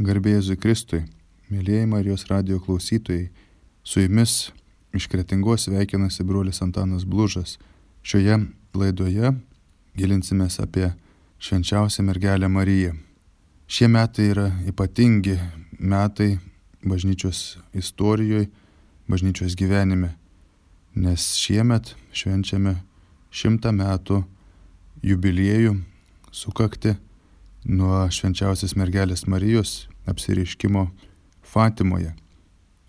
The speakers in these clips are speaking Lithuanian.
Garbė Jėzui Kristui, mėlyjeji Marijos radijo klausytojai, su jumis iš Kretingos sveikinasi brolis Antanas Blužas. Šioje laidoje gilinsimės apie švenčiausią mergelę Mariją. Šie metai yra ypatingi metai bažnyčios istorijoje, bažnyčios gyvenime, nes šiemet švenčiame 100 metų jubiliejų sukakti nuo švenčiausios mergelės Marijos apsireiškimo Fatimoje.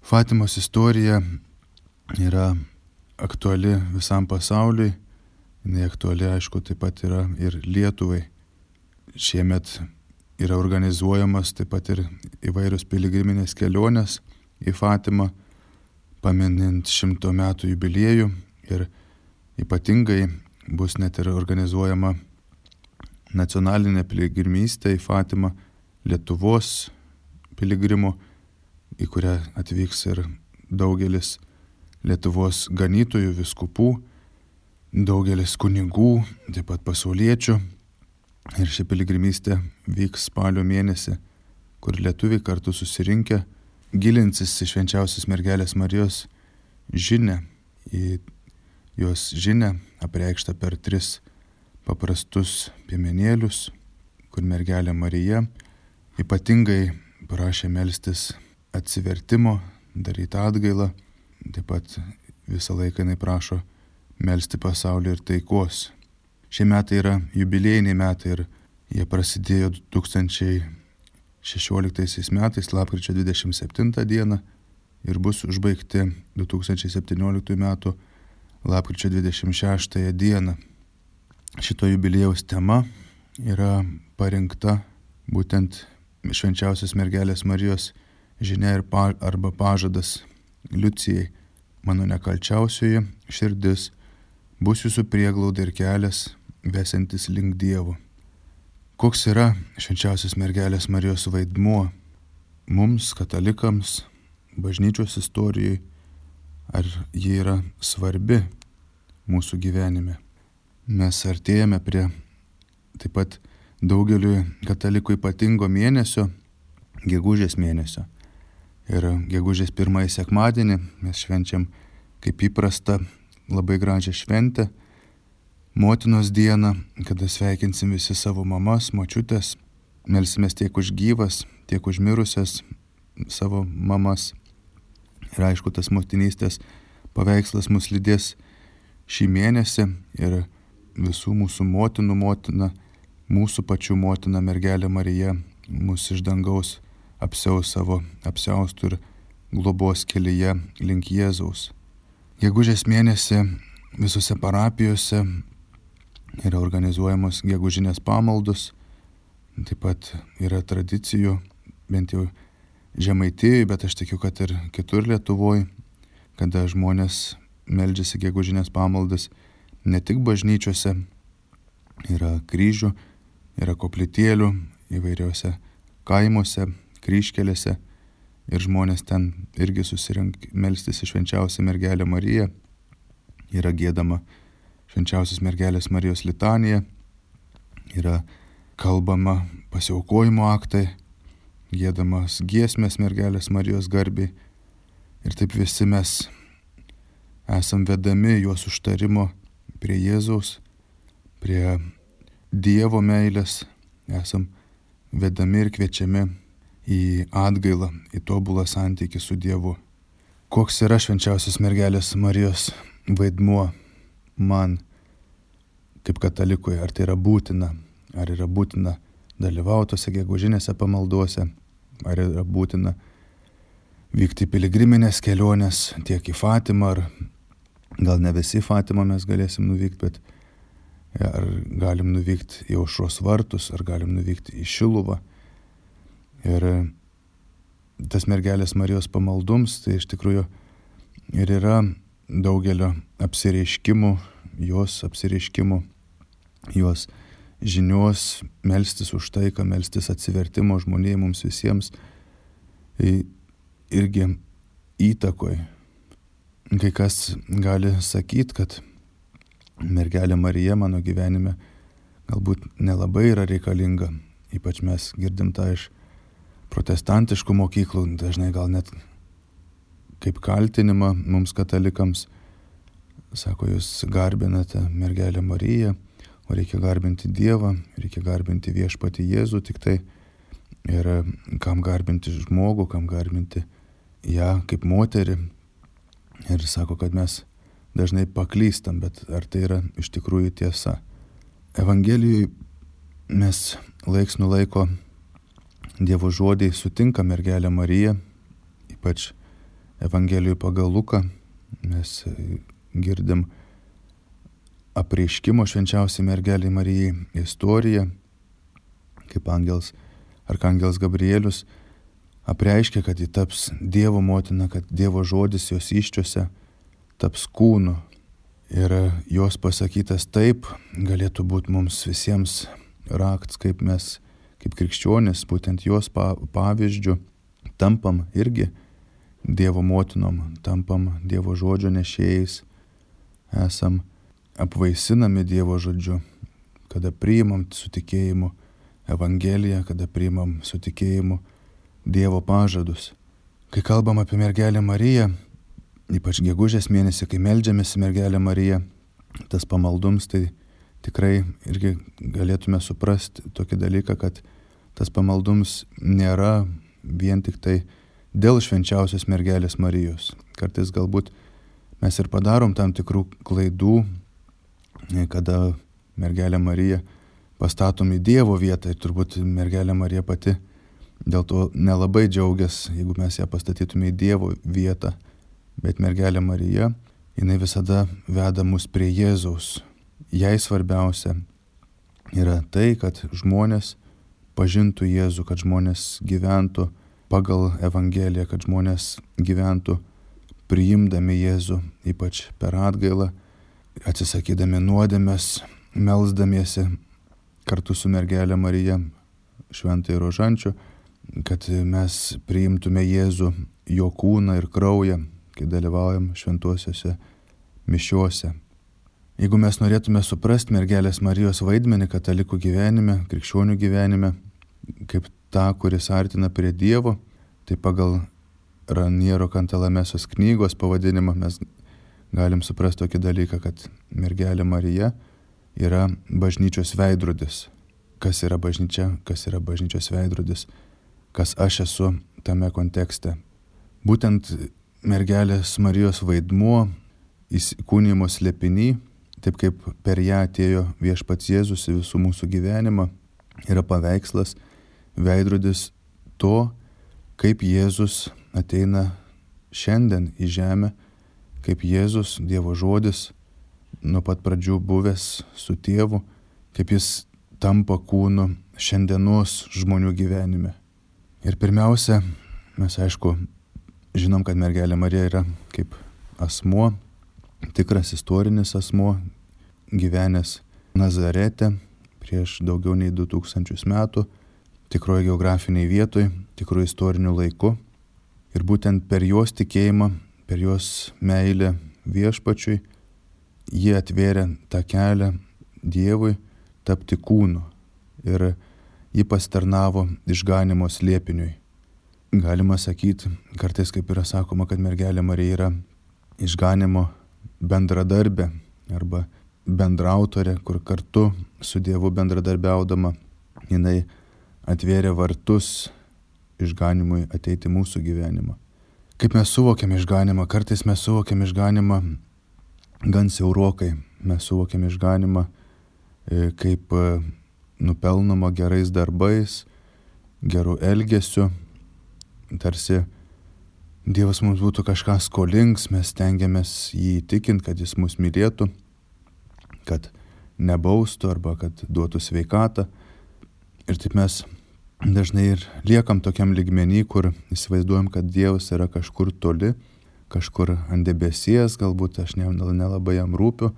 Fatimos istorija yra aktuali visam pasauliui, jinai aktuali, aišku, taip pat yra ir Lietuvai. Šiemet yra organizuojamas taip pat ir įvairios piligriminės kelionės į Fatimą, paminint 100 metų jubiliejų, ir ypatingai bus net ir organizuojama nacionalinė piligrimystė į Fatimą Lietuvos piligrimų, į kurią atvyks ir daugelis Lietuvos ganytojų, vyskupų, daugelis kunigų, taip pat pasauliečių. Ir ši piligrimystė vyks spalio mėnesį, kur lietuviai kartu susirinkę gilinsis į švenčiausios mergelės Marijos žinią, į jos žinią apreikštą per 3 paprastus piemenėlius, kur mergelė Marija ypatingai prašė melstis atsivertimo, daryti atgailą, taip pat visą laiką jinai prašo melsti pasaulį ir taikos. Šie metai yra jubiliejiniai metai ir jie prasidėjo 2016 metais, lapkričio 27 dieną, ir bus užbaigti 2017 metų lapkričio 26 dieną. Šito jubiliejaus tema yra parinkta būtent švenčiausios mergelės Marijos žinia arba pažadas Liucijai: mano nekalčiausioji širdis bus jūsų prieglauda ir kelias vesiantis link Dievo. Koks yra švenčiausios mergelės Marijos vaidmuo mums, katalikams, bažnyčios istorijai? Ar ji yra svarbi mūsų gyvenime? Mes artėjame prie taip pat daugeliui katalikų ypatingo mėnesio, gegužės mėnesio. Ir gegužės 1 sekmadienį mes švenčiam kaip įprasta labai gražią šventę, Motinos dieną, kada sveikinsim visi savo mamas, močiutės, melsimės tiek už gyvas, tiek už mirusias savo mamas. Ir aišku, tas motinystės paveikslas mus lydės šį mėnesį ir visų mūsų motinų motina, mūsų pačių motina mergelė Marija mus iš dangaus apsiaus savo apsiaustų ir globos kelyje link Jėzaus. Gegužės mėnesį visose parapijose yra organizuojamos gegužinės pamaldos, taip pat yra tradicijų, bent jau Žemaitijoje, bet aš tikiu, kad ir kitur Lietuvoje, kada žmonės meldžiasi gegužinės pamaldas ne tik bažnyčiose, yra kryžių, yra koplytėlių įvairiuose kaimuose, kryžkelėse, ir žmonės ten irgi susirink melstis į švenčiausią mergelę Mariją. Yra giedama švenčiausios mergelės Marijos litanija, yra kalbama pasiaukojimo aktai, giedamas giesmės mergelės Marijos garbei, ir taip visi mes esam vedami jos užtarimo prie Jėzaus, prie Dievo meilės, esam vedami ir kviečiami į atgailą, į tobulą santykį su Dievu. Koks yra švenčiausios mergelės Marijos vaidmuo man kaip katalikui? Ar tai yra būtina? Ar yra būtina dalyvauti tose gegužinėse pamalduose? Ar yra būtina vykti piligriminės kelionės tiek į Fatimą, ar gal ne visi į Fatimą mes galėsim nuvykti, bet ar galim nuvykti į Aušros vartus, ar galim nuvykti į Šiluvą. Ir tas mergelės Marijos pamaldums, tai iš tikrųjų ir yra daugelio apsireiškimų, jos žinios, melstis už taiką, melstis atsivertimo žmonijai mums visiems, irgi įtakoj. Kai kas gali sakyti, kad mergelė Marija mano gyvenime galbūt nelabai yra reikalinga, ypač mes girdim tą iš protestantiškų mokyklų, dažnai gal net kaip kaltinimą mums katalikams. Sako, jūs garbinate mergelę Mariją, o reikia garbinti Dievą, reikia garbinti viešpatį Jėzų tik tai. Ir kam garbinti žmogų, kam garbinti ją kaip moterį. Ir sako, kad mes dažnai paklystam, bet ar tai yra iš tikrųjų tiesa? Evangelijoje mes laiks nuo laiko Dievo žodį sutinka mergelę Mariją, ypač Evangelijoje pagal Luką mes girdim apreiškimo švenčiausiai mergeliai Marijai istoriją, kaip arkangelas Gabrielius apreiškia, kad ji taps Dievo motina, kad Dievo žodis jos įsčiose taps kūnu. Ir jos pasakytas taip galėtų būti mums visiems rakts, kaip mes, kaip krikščionys, būtent jos pavyzdžių tampam irgi Dievo motinom, tampam Dievo žodžio nešėjais, esam apvaisinami Dievo žodžiu, kada priimam su tikėjimu Evangeliją, kada priimam su tikėjimu Dievo pažadus. Kai kalbam apie mergelę Mariją, ypač gegužės mėnesį, kai meldžiamės į mergelę Mariją, tas pamaldums, tai tikrai irgi galėtume suprasti tokį dalyką, kad tas pamaldums nėra vien tik tai dėl švenčiausios mergelės Marijos. Kartais galbūt mes ir padarom tam tikrų klaidų, kada mergelę Mariją pastatom į Dievo vietą ir turbūt mergelė Marija pati dėl to nelabai džiaugiasi, jeigu mes ją pastatytume į Dievo vietą. Bet mergelė Marija, jinai visada veda mus prie Jėzaus. Jai svarbiausia yra tai, kad žmonės pažintų Jėzų, kad žmonės gyventų pagal Evangeliją, kad žmonės gyventų priimdami Jėzų, ypač per atgailą, atsisakydami nuodėmės, melsdamiesi kartu su mergelė Marija, šventai rožančiu, kad mes priimtume Jėzų, jo kūną ir kraują, kai dalyvaujam šventuosiuose mišiuose. Jeigu mes norėtume suprasti mergelės Marijos vaidmenį katalikų gyvenime, krikščionių gyvenime, kaip tą, kuris artina prie Dievo, tai pagal Raniero Kantalamesos knygos pavadinimą mes galim suprasti tokį dalyką, kad mergelė Marija yra bažnyčios veidrodis. Kas yra bažnyčia, kas yra bažnyčios veidrodis, kas aš esu tame kontekste. Būtent mergelės Marijos vaidmuo įsikūnijimo slėpiny, taip kaip per ją atėjo viešpats Jėzus į visų mūsų gyvenimą, yra paveikslas, veidrodis to, kaip Jėzus ateina šiandien į žemę, kaip Jėzus, Dievo žodis, nuo pat pradžių buvęs su Tėvu, kaip jis tampa kūnu šiandienos žmonių gyvenime. Ir pirmiausia, mes aišku žinom, kad mergelė Marija yra kaip asmuo, tikras istorinis asmuo, gyvenęs Nazarete prieš daugiau nei 2000 metų, tikroje geografiniai vietoj, tikroje istoriniu laiku. Ir būtent per jos tikėjimą, per jos meilę viešpačiui, jie atvėrė tą kelią Dievui tapti kūnu. Ir ji pasitarnavo išganimo slėpiniui. Galima sakyti, kartais kaip yra sakoma, kad mergelė Marija yra išganimo bendradarbė arba bendraautorė, kur kartu su Dievu bendradarbiaudama jinai atvėrė vartus išganimui ateiti mūsų gyvenimą. Kaip mes suvokiam išganimą? Kartais mes suvokiam išganimą gan siaurokai. Mes suvokiam išganimą kaip nupelnoma gerais darbais, gerų elgesiu. Tarsi Dievas mums būtų kažką skolings, mes stengiamės jį įtikinti, kad jis mus mylėtų, kad nebaustų arba kad duotų sveikatą. Ir taip mes dažnai ir liekam tokiam lygmenį, kur įsivaizduojam, kad Dievas yra kažkur toli, kažkur ant debesies, galbūt aš nelabai jam rūpiu,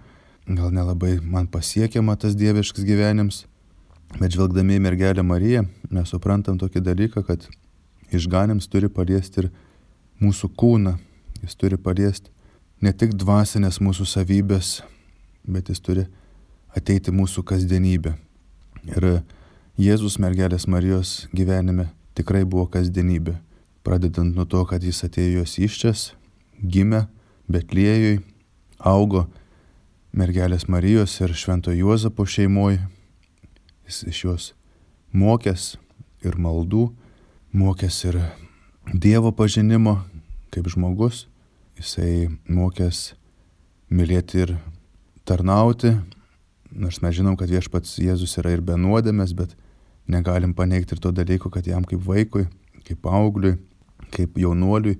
gal nelabai man pasiekiama tas dieviškas gyvenims. Bet žvelgdami į mergelę Mariją, mes suprantam tokį dalyką, kad išganims turi paliesti ir mūsų kūną. Jis turi paliesti ne tik dvasinės mūsų savybės, bet jis turi ateiti mūsų kasdienybę. Ir Jėzus mergelės Marijos gyvenime tikrai buvo kasdienybė. Pradedant nuo to, kad jis atėjo jos įsčias, gimė Betliejui, augo mergelės Marijos ir Švento Juozapo šeimoje. Jis iš jos mokės ir maldų, mokės ir Dievo pažinimo kaip žmogus. Jisai mokės mylėti ir tarnauti, nors mes žinom, kad Viešpats Jėzus yra ir be nuodėmės, bet negalim paneigti ir to dalyko, kad jam kaip vaikui, kaip paaugliui, kaip jaunuoliui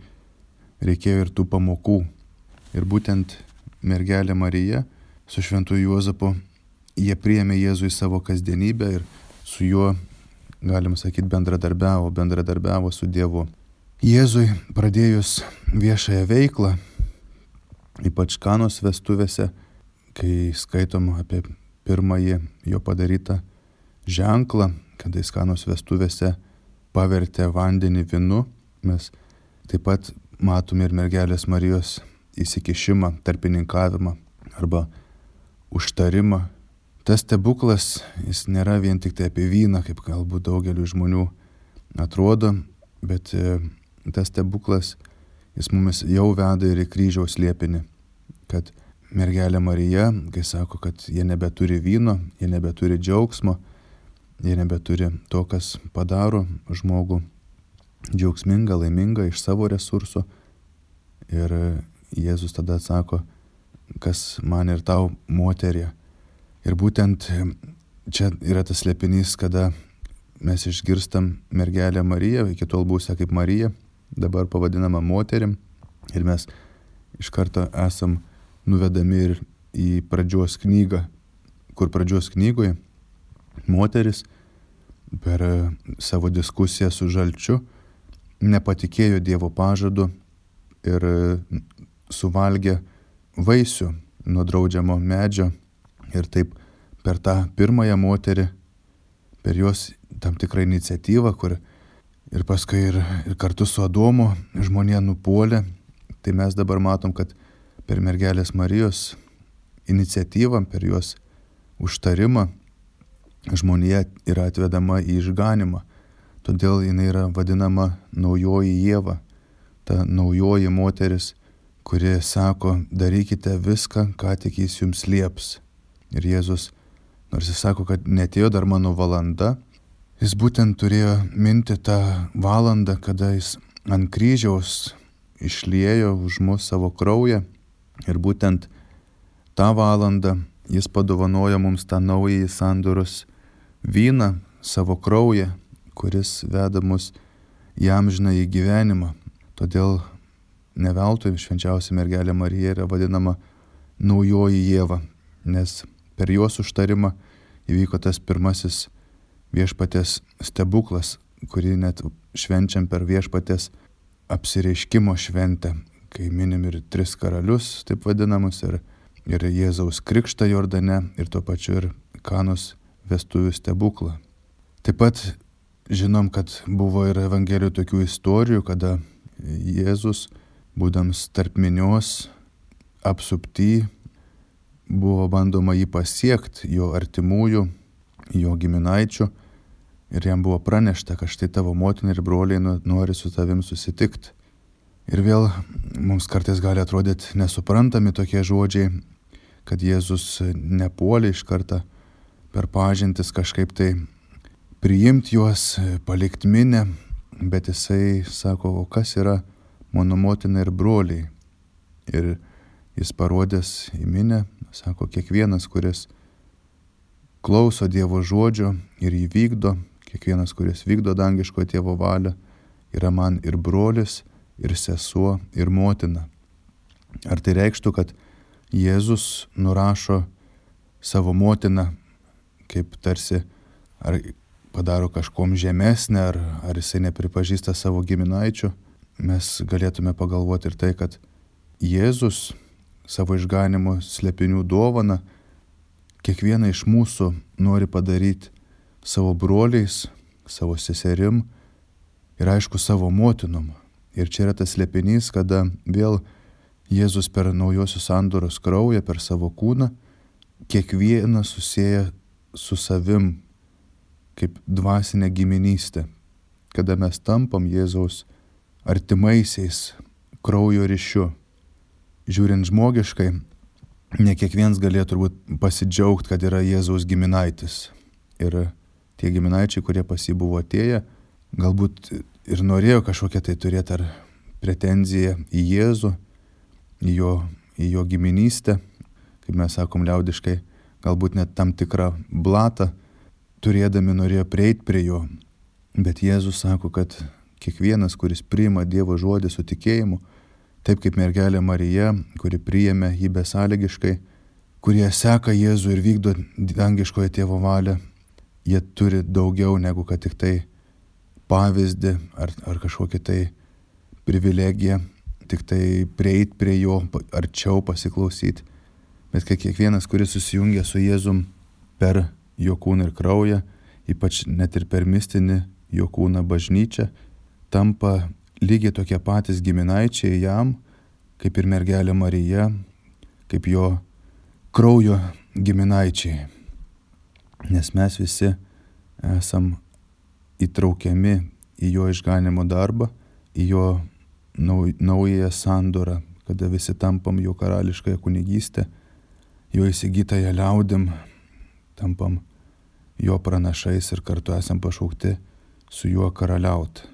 reikėjo ir tų pamokų. Ir būtent mergelė Marija su Šventu Juozapu, jie priėmė Jėzų į savo kasdienybę ir su juo, galim sakyti, bendradarbiavo su Dievu. Jėzui pradėjus viešąją veiklą, ypač Kanos vestuvėse, kai skaitom apie pirmąjį jo padarytą ženklą, kada jis Kanos vestuvėse pavertė vandenį vynu, mes taip pat matome ir mergelės Marijos įsikišimą, tarpininkavimą arba užtarimą. Tas stebuklas, jis nėra vien tik tai apie vyną, kaip galbūt daugeliu žmonių atrodo, bet tas stebuklas, jis mumis jau veda ir į kryžiaus slėpinį, kad mergelė Marija, kai sako, kad jie nebeturi vyno, jie nebeturi džiaugsmo, jie nebeturi to, kas padaro žmogų džiaugsmingą, laimingą iš savo resursų. Ir Jėzus tada atsako, kas man ir tau, moterie. Ir būtent čia yra tas slėpinys, kada mes išgirstam mergelę Mariją, iki tol buvusią kaip Marija, dabar pavadinama moterim. Ir mes iš karto esam nuvedami ir į pradžios knygą, kur pradžios knygoje moteris per savo diskusiją su žalčiu nepatikėjo Dievo pažadu ir suvalgė vaisių nuo draudžiamo medžio. Ir taip per tą pirmąją moterį, per jos tam tikrą iniciatyvą, kur ir paskui ir kartu su Adomu žmonija nupuolė, tai mes dabar matom, kad per mergelės Marijos iniciatyvą, per jos užtarimą žmonija yra atvedama į išganimą. Todėl jinai yra vadinama naujoji Ieva, ta naujoji moteris, kuri sako, darykite viską, ką tik jis jums lieps. Ir Jėzus, nors jis sako, kad netėjo dar mano valanda, jis būtent turėjo minti tą valandą, kada jis ant kryžiaus išliejo už mus savo kraują. Ir būtent tą valandą jis padovanojo mums tą naująjį sandoros vyną, savo kraują, kuris veda mus į amžinąjį gyvenimą. Todėl ne veltui švenčiausia mergelė Marija yra vadinama naujoji Ieva, nes per jos užtarimą įvyko tas pirmasis viešpaties stebuklas, kurį net švenčiam per viešpaties apsireiškimo šventę, kai minim ir 3 karalius, taip vadinamus, ir Jėzaus krikštą Jordane, ir tuo pačiu ir Kanos vestuvių stebuklą. Taip pat žinom, kad buvo ir evangelijų tokių istorijų, kada Jėzus, būdams tarp minios, apsupty, buvo bandoma jį pasiekti, jo artimųjų, jo giminaičių, ir jam buvo pranešta, kad štai tavo motina ir broliai nori su tavim susitikti. Ir vėl mums kartais gali atrodyti nesuprantami tokie žodžiai, kad Jėzus nepuolė iš karto per pažintis kažkaip tai priimti juos, palikti minę, bet jisai sako, o kas yra mano motina ir broliai. Ir jis parodęs į minę, sako, kiekvienas, kuris klauso Dievo žodžio ir jį vykdo, kiekvienas, kuris vykdo dangiško Tėvo valią, yra man ir brolis, ir sesuo, ir motina. Ar tai reikštų, kad Jėzus nurašo savo motiną, kaip tarsi, ar padaro kažkom žemesnę, ar jisai nepripažįsta savo giminaičių? Mes galėtume pagalvoti ir tai, kad Jėzus savo išganimo slėpinių dovaną kiekvieną iš mūsų nori padaryti savo broliais, savo seserim ir aišku savo motinom. Ir čia yra tas slėpinys, kada vėl Jėzus per naujosios sandoros kraują, per savo kūną, kiekvieną susieja su savim kaip dvasinę giminystę. kada mes tampam Jėzaus artimaisiais kraujo ryšiu. Žiūrint žmogiškai, ne kiekvienas galėjo turbūt pasidžiaugti, kad yra Jėzaus giminaitis. Ir tie giminaičiai, kurie pas jį buvo atėję, galbūt ir norėjo kažkokią tai turėti ar pretenziją į Jėzų, į jo giminystę, kaip mes sakom liaudiškai, galbūt net tam tikrą blatą, turėdami norėjo prieiti prie jo. Bet Jėzus sako, kad kiekvienas, kuris priima Dievo žodį su tikėjimu, taip kaip mergelė Marija, kuri priėmė jį besąlygiškai, kurie seka Jėzų ir vykdo dangiškojo tėvo valią, jie turi daugiau negu kad tik tai pavyzdį ar kažkokią tai privilegiją, tik tai prieiti prie jo, arčiau pasiklausyti. Bet kad kiekvienas, kuris susijungia su Jėzum per jo kūną ir kraują, ypač net ir per mistinį jo kūną bažnyčią, tampa lygiai tokie patys giminaičiai jam, kaip ir mergelė Marija, kaip jo kraujo giminaičiai. Nes mes visi esam įtraukiami į jo išganimo darbą, į jo naująją sandorą, kada visi tampam jo karališkąją kunigystę, jo įsigytąją liaudim, tampam jo pranašais ir kartu esam pašaukti su juo karaliauti.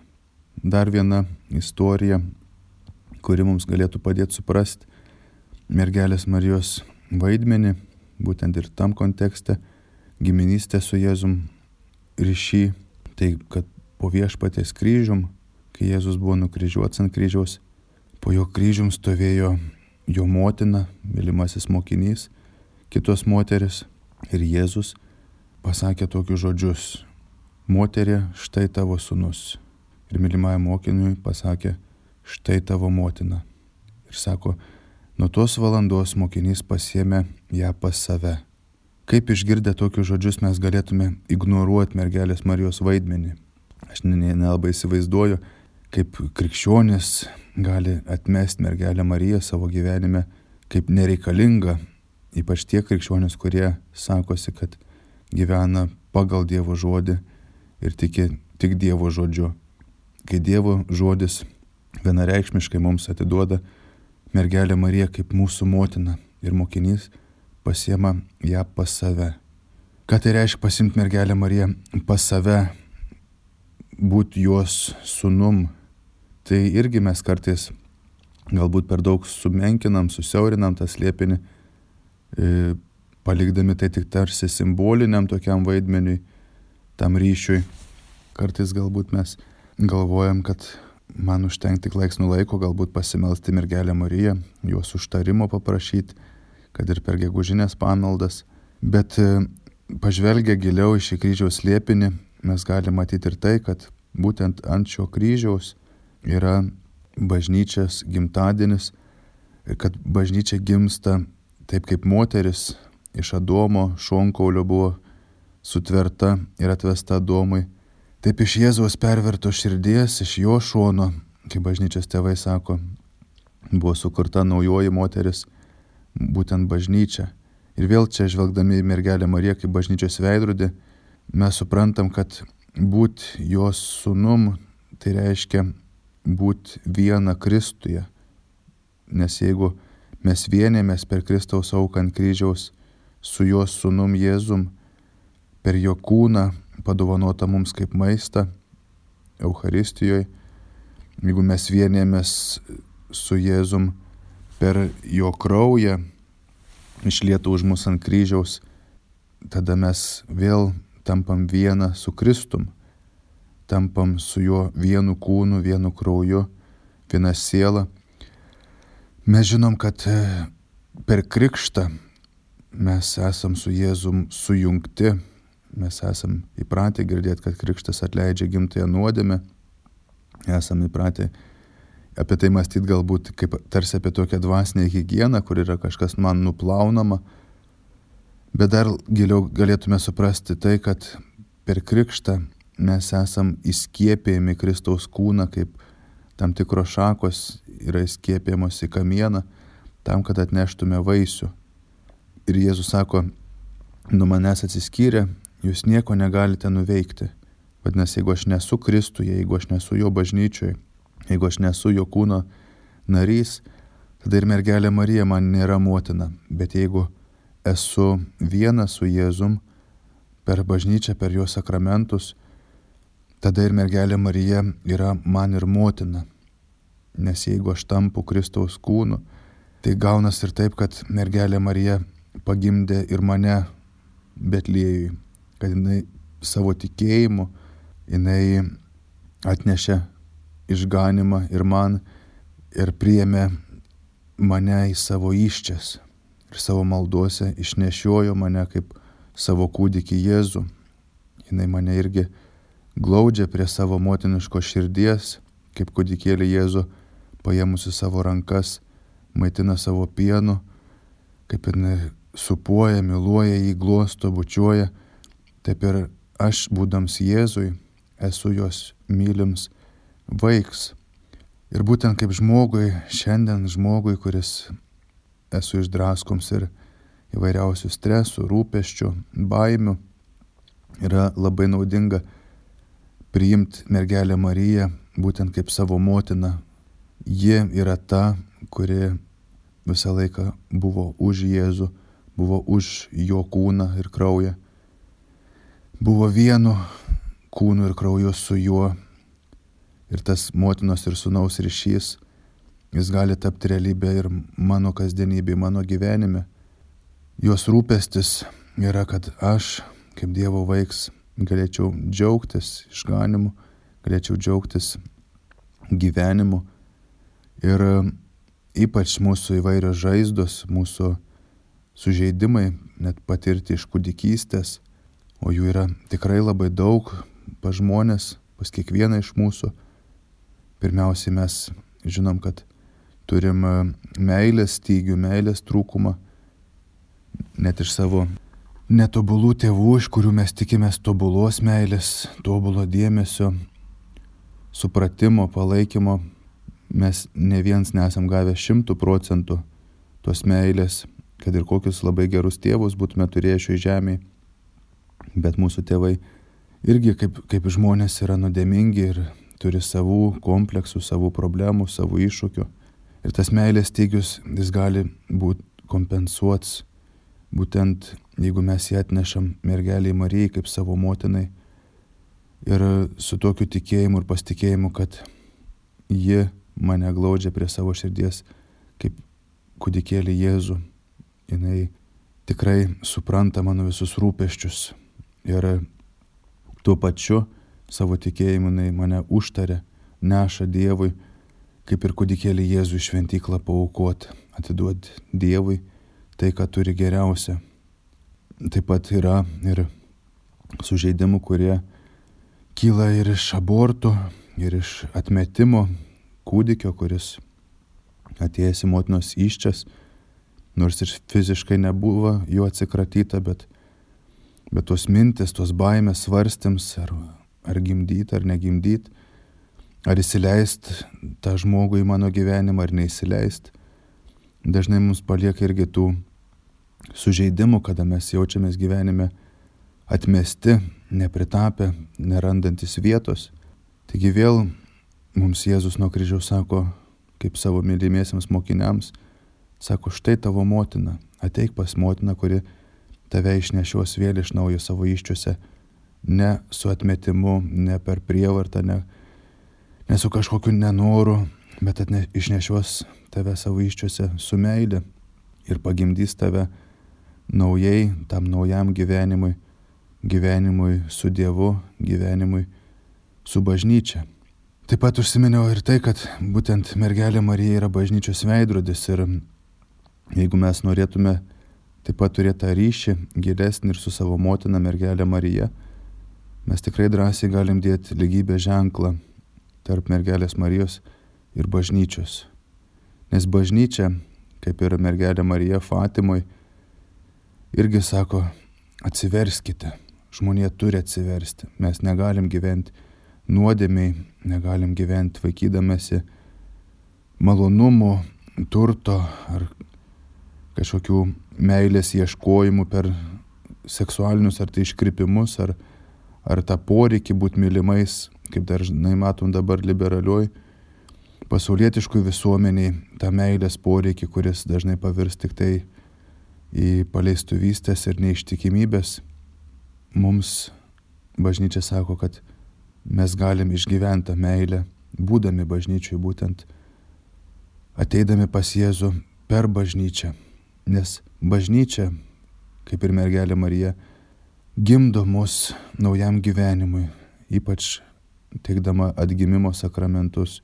Dar viena istorija, kuri mums galėtų padėti suprasti mergelės Marijos vaidmenį, būtent ir tam kontekste, giminystė su Jėzum ryšį, tai kad po Viešpaties kryžium, kai Jėzus buvo nukryžiuotas ant kryžiaus, po jo kryžium stovėjo jo motina, mylimasis mokinys, kitos moteris ir Jėzus pasakė tokius žodžius: moterie, štai tavo sūnus. Ir mylimajam mokiniui pasakė: štai tavo motina. Ir sako, nuo tos valandos mokinys pasiėmė ją pas save. Kaip išgirdę tokius žodžius mes galėtume ignoruoti mergelės Marijos vaidmenį? Aš nelabai įsivaizduoju, kaip krikščionis gali atmesti mergelę Mariją savo gyvenime kaip nereikalingą, ypač tie krikščionis, kurie sakosi, kad gyvena pagal Dievo žodį ir tiki tik Dievo žodžiu. Kai Dievo žodis vienareikšmiškai mums atiduoda mergelę Mariją kaip mūsų motina ir mokinys pasiema ją pas save. Ką tai reiškia pasimti mergelę Mariją pas save, būti jos sūnum? Tai irgi mes kartais galbūt per daug sumenkinam, susiaurinam tą slėpinį, palikdami tai tik tarsi simboliniam tokiam vaidmeniui, tam ryšiui. Kartais galbūt mes galvojam, kad man užtenka tik laiks nuo laiko galbūt pasimelsti mergelę Mariją, jos užtarimo paprašyti, kad ir per gegužinės pamaldas. Bet pažvelgę giliau į šį kryžiaus slėpinį, mes galime matyti ir tai, kad būtent ant šio kryžiaus yra bažnyčios gimtadienis ir kad bažnyčia gimsta taip, kaip moteris iš Adomo šonkaulio buvo sutverta ir atvesta Adomui. Taip iš Jėzaus perverto širdies, iš jo šono, kaip bažnyčios tėvai sako, buvo sukurta naujoji moteris, būtent bažnyčia. Ir vėl čia žvelgdami į mergelę Mariją kaip bažnyčios veidrodį, mes suprantam, kad būti jos sūnum, tai reiškia būti viena Kristuje. Nes jeigu mes vienėmės per Kristaus auką ant kryžiaus su jos sūnum Jėzum, per jo kūną, padovanota mums kaip maistą Eucharistijoje, jeigu mes vienėmės su Jėzum per jo kraują, išlietą už mus ant kryžiaus, tada mes vėl tampam viena su Kristum, tampam su juo vienu kūnu, vienu krauju, viena siela. Mes žinom, kad per krikštą mes esam su Jėzum sujungti. Mes esam įpratę girdėti, kad krikštas atleidžia gimtąją nuodėmę. Esam įpratę apie tai mąstyti galbūt kaip tarsi apie tokią dvasinę higieną, kur yra kažkas man nuplaunama. Bet dar giliau galėtume suprasti tai, kad per krikštą mes esam įskiepėjami Kristaus kūną, kaip tam tikros šakos yra įskiepėjamos į kamieną, tam, kad atneštume vaisių. Ir Jėzus sako, nuo manęs atsiskyrę, jūs nieko negalite nuveikti. Vadinasi, jeigu aš nesu Kristuje, jeigu aš nesu jo bažnyčioje, jeigu aš nesu jo kūno narys, tada ir mergelė Marija man nėra motina. Bet jeigu esu vienas su Jėzum per bažnyčią, per jo sakramentus, tada ir mergelė Marija yra man ir motina. Nes jeigu aš tampu Kristaus kūnu, tai gaunas ir taip, kad mergelė Marija pagimdė ir mane Betliejui, kad jinai savo tikėjimu, jinai atnešė išganimą ir man ir priėmė mane į savo įsčias ir savo maldose išnešiojo mane kaip savo kūdikį Jėzų. Jinai mane irgi glaudžia prie savo motiniško širdies, kaip kūdikėlį Jėzų paėmusi savo rankas, maitina savo pienu, kaip jinai supuoja, myluoja jį, glosto, bučiuoja, taip ir aš, būdams Jėzui, esu jos mylims vaiks. Ir būtent kaip žmogui, šiandien žmogui, kuris esu išdraskoms ir įvairiausių stresų, rūpesčių, baimių, yra labai naudinga priimti mergelę Mariją būtent kaip savo motiną. Ji yra ta, kuri visą laiką buvo už Jėzų, buvo už jo kūną ir kraują, buvo vienu kūnu ir krauju su juo. Ir tas motinos ir sūnaus ryšys, jis gali tapti realybė ir mano kasdienybė, mano gyvenime. Jos rūpestis yra, kad aš, kaip Dievo vaiks, galėčiau džiaugtis išganimu, galėčiau džiaugtis gyvenimu. Ir ypač mūsų įvairios žaizdos, mūsų sužeidimai, net patirti iš kūdikystės, o jų yra tikrai labai daug pas žmonės, pas kiekvieną iš mūsų. Pirmiausiai mes žinom, kad turim meilės stygių, meilės trūkumą, net iš savo netobulų tėvų, iš kurių mes tikimės tobulos meilės, tobulo dėmesio, supratimo, palaikymo. Mes ne viens nesam gavę 100% tos meilės, kad ir kokius labai gerus tėvus būtume turėję šioje žemėje. Bet mūsų tėvai irgi kaip žmonės yra nuodėmingi ir turi savų kompleksų, savų problemų, savų iššūkių. Ir tas meilės stygius, jis gali būti kompensuots, būtent jeigu mes jį atnešam mergelei Marijai kaip savo motinai. Ir su tokiu tikėjimu ir pasitikėjimu, kad ji mane glaudžia prie savo širdies kaip kūdikėlį Jėzų. Jinai tikrai supranta mano visus rūpesčius. Ir tuo pačiu savo tikėjimu jinai mane užtaria, neša Dievui, kaip ir kūdikėlį Jėzų į šventyklą paaukoti, atiduoti Dievui tai, ką turi geriausia. Taip pat yra ir sužeidimų, kurie kyla ir iš abortų, ir iš atmetimo kūdikio, kuris atėjęs į motinos įsčias, nors ir fiziškai nebuvo jo atsikratyta, bet tos mintis, tos baimės svarstyms, ar gimdyt, ar negimdyt, ar įsileist tą žmogų į mano gyvenimą, ar neįsileist. Dažnai mums palieka irgi tų sužeidimų, kada mes jaučiamės gyvenime atmesti, nepritapę, nerandantis vietos. Taigi vėl mums Jėzus nuo kryžiaus sako, kaip savo mylimiesiems mokiniams, sako, štai tavo motina, ateik pas motiną, kuri tave išnešios vėl iš naujo savo įsčiose, ne su atmetimu, ne per prievartą, ne su kažkokiu nenoru, bet išnešios tave savo įsčiose su meile ir pagimdys tave naujai, tam naujam gyvenimui, gyvenimui su Dievu, gyvenimui su bažnyčia. Taip pat užsiminiau ir tai, kad būtent mergelė Marija yra bažnyčios veidrodis ir jeigu mes norėtume taip pat turėti tą ryšį gilesnį ir su savo motina mergelė Marija, mes tikrai drąsiai galim dėti lygybės ženklą tarp mergelės Marijos ir bažnyčios. Nes bažnyčia, kaip ir mergelė Marija Fatimoj, irgi sako, atsiverskite, žmonija turi atsiversti. Mes negalim gyventi nuodėmiai, negalim gyventi vaikydamėsi malonumų, turto ar kažkokių meilės ieškojimų per seksualinius ar tai iškrypimus, ar ar tą poreikį būti mylimais, kaip dažnai matom dabar liberalioj, pasaulietiškui visuomeniai, tą meilės poreikį, kuris dažnai pavirs tik tai į paleistuvystės ir neištikimybės. Mums bažnyčia sako, kad mes galim išgyventi tą meilę, būdami bažnyčiui, būtent ateidami pas Jėzų per bažnyčią. Nes bažnyčia, kaip ir mergelė Marija, gimdo mus naujam gyvenimui, ypač teikdama atgimimo sakramentus,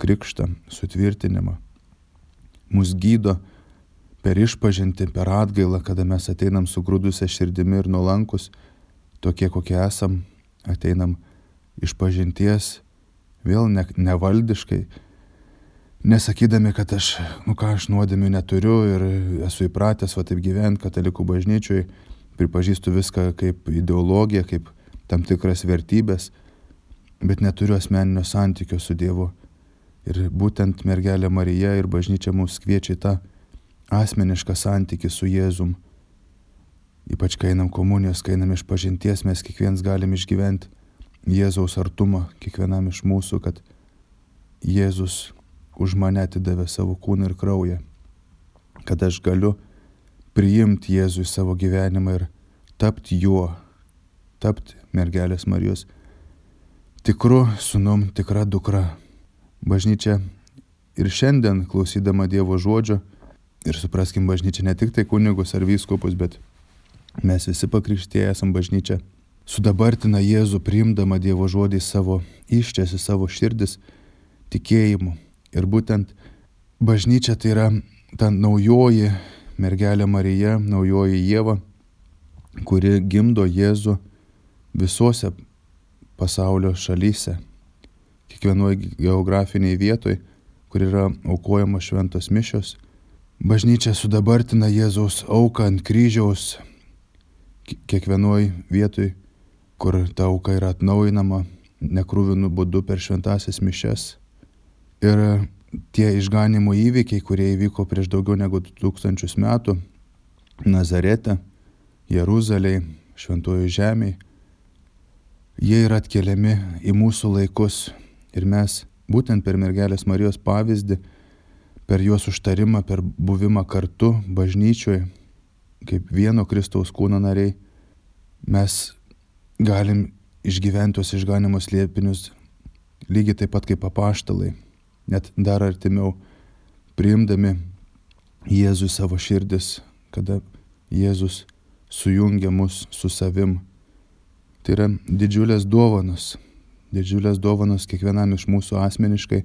krikštą, sutvirtinimą. Mus gydo per išpažintį, per atgailą, kada mes ateinam sugrūdusią širdimi ir nuolankus, tokie kokie esam, ateinam išpažinties, vėl nevaldiškai, nesakydami, kad aš nuodėmių neturiu ir esu įpratęs taip gyventi katalikų bažnyčioj, pripažįstu viską kaip ideologiją, kaip tam tikras vertybės, bet neturiu asmeninio santykio su Dievu. Ir būtent mergelė Marija ir bažnyčia mus kviečia į tą asmenišką santykį su Jėzum. Ypač kai einam komunijos, kai einam išpažinties, mes kiekvienas galim išgyventi Jėzaus artumą, kiekvienam iš mūsų, kad Jėzus už mane atidavė savo kūną ir kraują, kad aš galiu priimti Jėzų į savo gyvenimą ir tapti juo, tapti mergelės Marijos tikru sūnum, tikra dukra. Bažnyčia ir šiandien, klausydama Dievo žodžio, ir supraskim, bažnyčia ne tik tai kunigus ar vyskupus, bet mes visi pakrikštieji esam bažnyčia, sudabartina Jėzų, priimdama Dievo žodį savo iščias, į savo širdis tikėjimu. Ir būtent bažnyčia tai yra ta naujoji mergelė Marija, naujoji Ieva, kuri gimdo Jėzų visose pasaulio šalyse, kiekvienoje geografiniai vietoj, kur yra aukojamos šventos mišios. Bažnyčia sudabartina Jėzaus auką ant kryžiaus kiekvienoje vietoj, kur ta auka yra atnaujinama nekruvinu būdu per šventasias mišias. Ir tie išganimo įvykiai, kurie įvyko prieš daugiau negu 2000 metų Nazarete, Jeruzalėje, Šventojoje žemėje, jie yra atkeliami į mūsų laikus ir mes būtent per mergelės Marijos pavyzdį, per jos užtarimą, per buvimą kartu bažnyčioje, kaip vieno Kristaus kūno nariai, mes galim išgyventi tos išganimo slėpinius lygiai taip pat kaip apaštalai, net dar artimiau, priimdami Jėzų į savo širdis, kada Jėzus sujungia mus su savim. Tai yra didžiulės dovanos kiekvienam iš mūsų asmeniškai.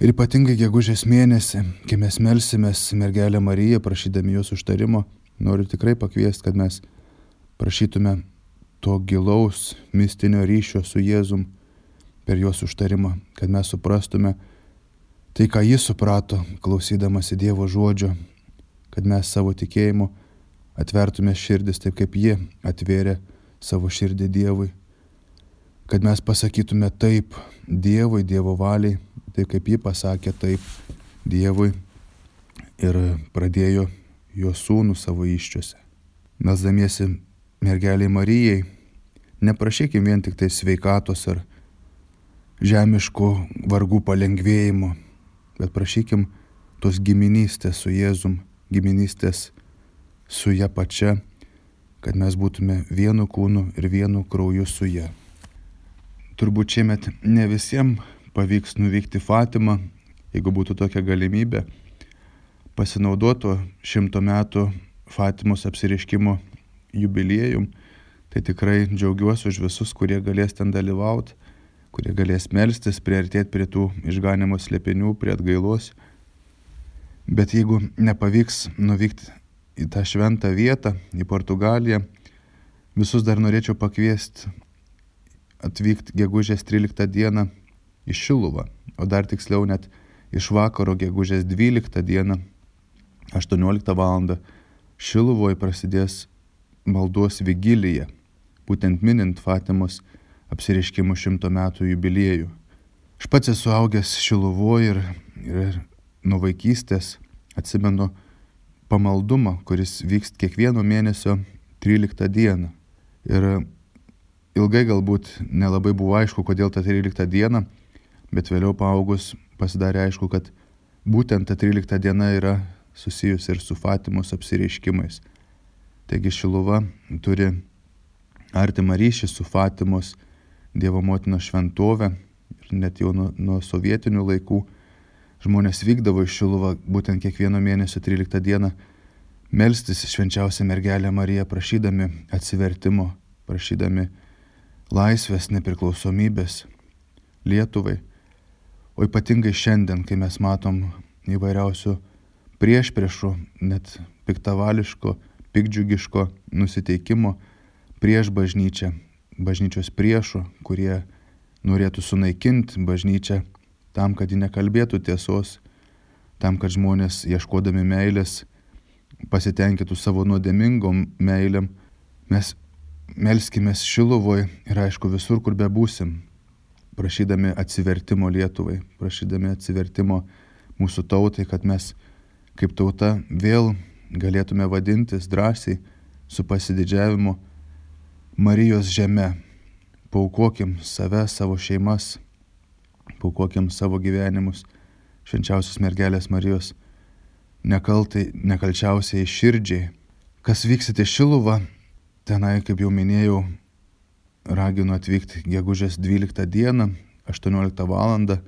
Ir ypatingai gegužės mėnesį, kai mes melsimės mergelę Mariją, prašydami jos užtarimo, noriu tikrai pakviesti, kad mes prašytume to gilaus mistinio ryšio su Jėzum per jos užtarimą, kad mes suprastume tai, ką jis suprato, klausydamasi Dievo žodžio, kad mes savo tikėjimu atvertume širdis taip, kaip ji atvėrė savo širdį Dievui, kad mes pasakytume taip Dievui, Dievo valiai, taip kaip ji pasakė taip Dievui ir pradėjo jo sūnų savo įsčiose. Melsdamiesi mergeliai Marijai, neprašykim vien tik tai sveikatos ar žemiškų vargų palengvėjimo, bet prašykim tos giminystės su Jėzum, giminystės su ja pačia, kad mes būtume vienu kūnu ir vienu krauju su ja. Turbūt šiemet ne visiems pavyks nuvykti Fatimą, jeigu būtų tokia galimybė, pasinaudoto 100 metų Fatimos apsireiškimo jubiliejum, tai tikrai džiaugiuosi už visus, kurie galės ten dalyvauti, kurie galės melstis, priartėti prie tų išganimo slėpinių, prie atgailos. Bet jeigu nepavyks nuvykti į tą šventą vietą, į Portugaliją, visus dar norėčiau pakviesti atvykti gegužės 13 dieną į Šiluvą, o dar tiksliau net iš vakaro gegužės 12 dieną, 18 val. Šiluvoje prasidės maldos vigilija, būtent minint Fatimos apsireiškimo 100 metų jubiliejų. Aš pats esu augęs Šiluvoje ir nuo vaikystės atsimenu pamaldumą, kuris vyks kiekvieno mėnesio 13 dieną. Ir Ilgai galbūt nelabai buvo aišku, kodėl ta 13 diena, bet vėliau paaugus pasidarė aišku, kad būtent ta 13 diena yra susijusi ir su Fatimos apsireiškimais. Taigi Šiluva turi artimą ryšį su Fatimos Dievo motinos šventove ir net jau nuo sovietinių laikų žmonės vykdavo į Šiluvą būtent kiekvieno mėnesio 13 dieną melstis švenčiausią mergelę Mariją, prašydami atsivertimo, prašydami laisvės, nepriklausomybės Lietuvai. O ypatingai šiandien, kai mes matom įvairiausių priešpriešų, net piktavališko, piktdžiugiško nusiteikimo prieš bažnyčią, bažnyčios priešų, kurie norėtų sunaikinti bažnyčią tam, kad ji nekalbėtų tiesos, tam, kad žmonės ieškodami meilės pasitenkintų savo nuodėmingom meilėm. Mes melskimės Šiluvoj ir aišku visur, kur bebūsim, prašydami atsivertimo Lietuvai, prašydami atsivertimo mūsų tautai, kad mes kaip tauta vėl galėtume vadintis drąsiai su pasididžiavimu Marijos žeme. Paaukokim save, savo šeimas, paaukokim savo gyvenimus švenčiausios mergelės Marijos nekalčiausiai širdžiai. Kas vyksite Šiluvą, tenai, kaip jau minėjau, raginu atvykti gegužės 12 dieną, 18 valandą,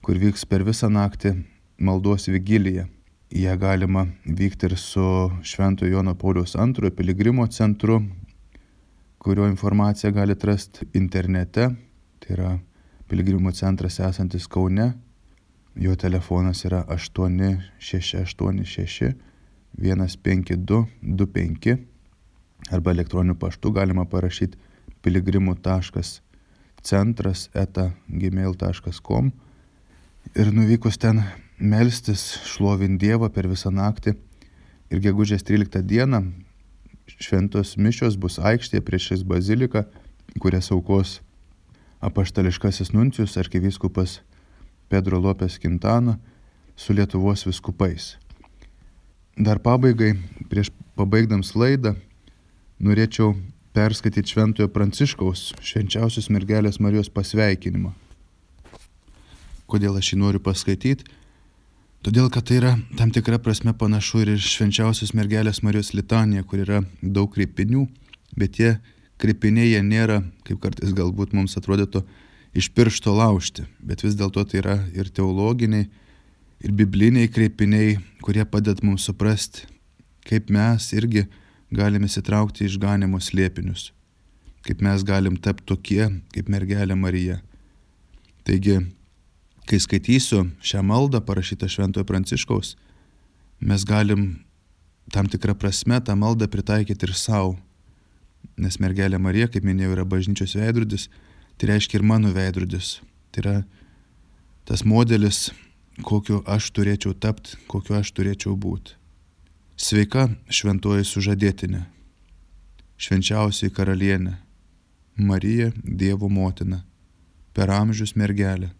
kur vyks per visą naktį maldos vigilija. Į ją galima vykti ir su Šventojo Jono Pauliaus II piligrimo centru, kurio informaciją galite rasti internete. Tai yra piligrimų centras esantis Kaune. Jo telefonas yra 8686 15225 arba elektroniniu paštu galima parašyti piligrimų.centras@gmail.com ir nuvykus ten melstis, šlovint Dievą per visą naktį. Ir gegužės 13 dieną šventos mišios bus aikštėje priešais baziliką, kurias aukos apaštališkasis nuncijus arkivyskupas Pedro Lopes Quintana su Lietuvos vyskupais. Dar pabaigai, prieš pabaigdams laidą, norėčiau perskaityti Šventojo Pranciškaus švenčiausios mergelės Marijos pasveikinimą. Kodėl aš jį noriu paskaityti? Todėl, kad tai yra tam tikra prasme panašu ir švenčiausios mergelės Marijos litanija, kur yra daug kreipinių, bet tie kreipiniai jie nėra, kaip kartais galbūt mums atrodytų, iš piršto laužti, bet vis dėlto tai yra ir teologiniai, ir bibliniai kreipiniai, kurie padeda mums suprasti, kaip mes irgi galime įsitraukti į išganymo slėpinius, kaip mes galim tapti tokie, kaip mergelė Marija. Taigi, kai skaitysiu šią maldą parašytą Šventojo Pranciškaus, mes galim tam tikrą prasme tą maldą pritaikyti ir savo, nes mergelė Marija, kaip minėjau, yra bažnyčios veidrodis, tai reiškia ir mano veidrodis. Tai yra tas modelis, kokiu aš turėčiau tapti, kokiu aš turėčiau būti. Sveika šventoji sužadėtinė, švenčiausiai karalienė, Marija Dievo motina, per amžius mergelė,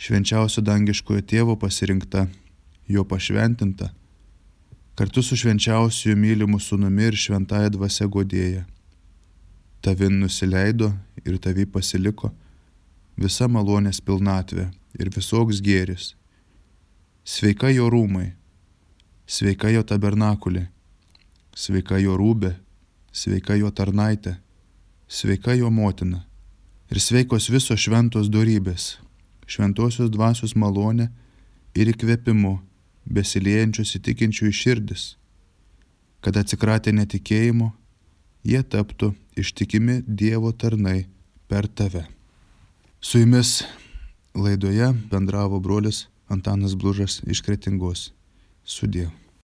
švenčiausio dangiškojo tėvo pasirinkta, jo pašventinta, kartu su švenčiausiu mylimu sūnumi ir šventąja dvasia godėja. Tavin nusileido ir tavi pasiliko visa malonės pilnatvė ir visoks gėris. Sveika jo rūmai, sveika jo tabernakulė, sveika jo rūbė, sveika jo tarnaitė, sveika jo motina ir sveikos visos šventos dorybės, šventosios dvasios malonė ir įkvėpimu besiliejančius įtikinčių į širdis, kad atsikratę netikėjimo, jie taptų ištikimi Dievo tarnai per tave. Su jumis laidoje bendravo brolis Antanas Blužas iš Kretingos. Sudie.